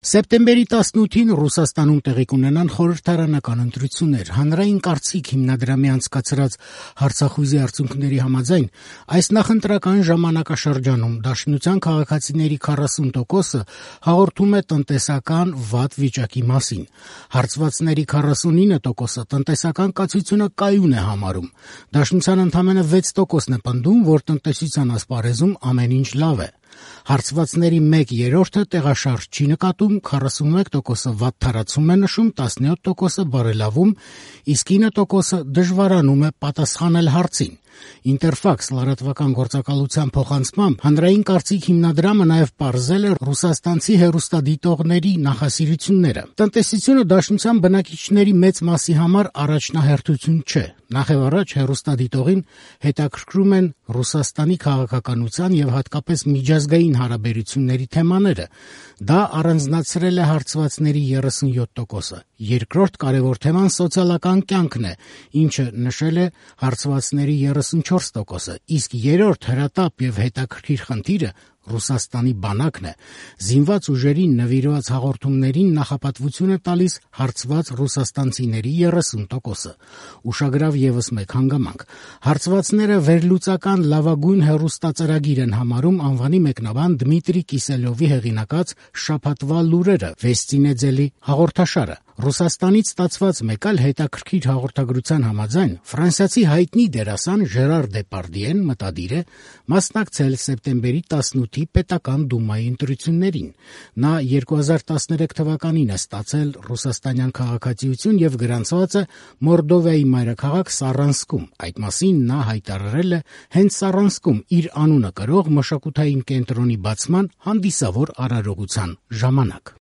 Սեպտեմբերի 18-ին Ռուսաստանում տեղի կունենան խորհրդարանական ընտրություններ։ Հանրային կարծիք հիմնադրամի անցկացրած հարցախույզի արդյունքների համաձայն այս նախընտրական ժամանակաշրջանում Դաշնության քաղաքացիների 40%-ը հաղորդում է տնտեսական վատ վիճակի մասին։ Հարցվածների 49%-ը տնտեսական կացությունը կայուն է համարում։ Դաշնության ընդամենը 6%-ն է պնդում, որ տնտեսության ասպարեզում ամեն ինչ լավ է։ Հարցվածների 1/3-ը տեղաշարժ չի նկատում, 41%-ը վատթարացում է նշում, 17%-ը բարելավում, իսկ 9%-ը դժվարանում է պատասխանել հարցին։ Ինտերֆաքս լրատվական գործակալության փոխանցմամբ հանրային կարծիք հիմնադրամը նաև պարզել է ռուսաստանցի հեռուստադիտողների նախասիրությունները։ Տնտեսությունը Դաշնության բնակիչների մեծ մասի համար առաջնահերթություն չէ։ Նախևառաջ հեռուստադիտողին հետաքրքրում են Ռուսաստանի քաղաքականության եւ հատկապես միջազգային հարաբերությունների թեմաները։ Դա առանձնացրել է հարցվածների 37%-ը։ Երկրորդ կարևոր թեման սոցիալական կյանքն է, ինչը նշել է հարցվածների 34%-ը, իսկ երրորդ հրատապ եւ հետաքրքիր խնդիրը Ռուսաստանի բանակն է։ Զինված ուժերին նվիրված հաղորդումներին նախապատվություն է տալիս հարցված ռուսաստանցիների 30%-ը։ Ուշագրավ եւս մեկ հանգամանք։ Հարցվածները վերլուծական լավագույն հեռուստածրագիր են համարում անվանի մեկնաբան Դմիտրի Կիսելյովի հեղինակած «Շաբաթվա լուրերը» Վեսթի Նեդզելի հաղորդաշարը։ Ռուսաստանից ստացված մեկ այլ հետաքրքիր հաղորդագրության համաձայն ֆրանսիացի հայտնի դերասան Ժերար Դեպարդիեն մտադիր է մասնակցել սեպտեմբերի 18-ի պետական դումայի ընտրություններին։ Նա 2013 թվականին է ստացել ռուսաստանյան քաղաքացիություն եւ գրանցված է Մորդովիայի մայրաքաղաք Սառանսկում։ Այդ մասին նա հայտարարել է հենց Սառանսկում իր անունը կրող մշակութային կենտրոնի բացման հանդիսավոր արարողության ժամանակ։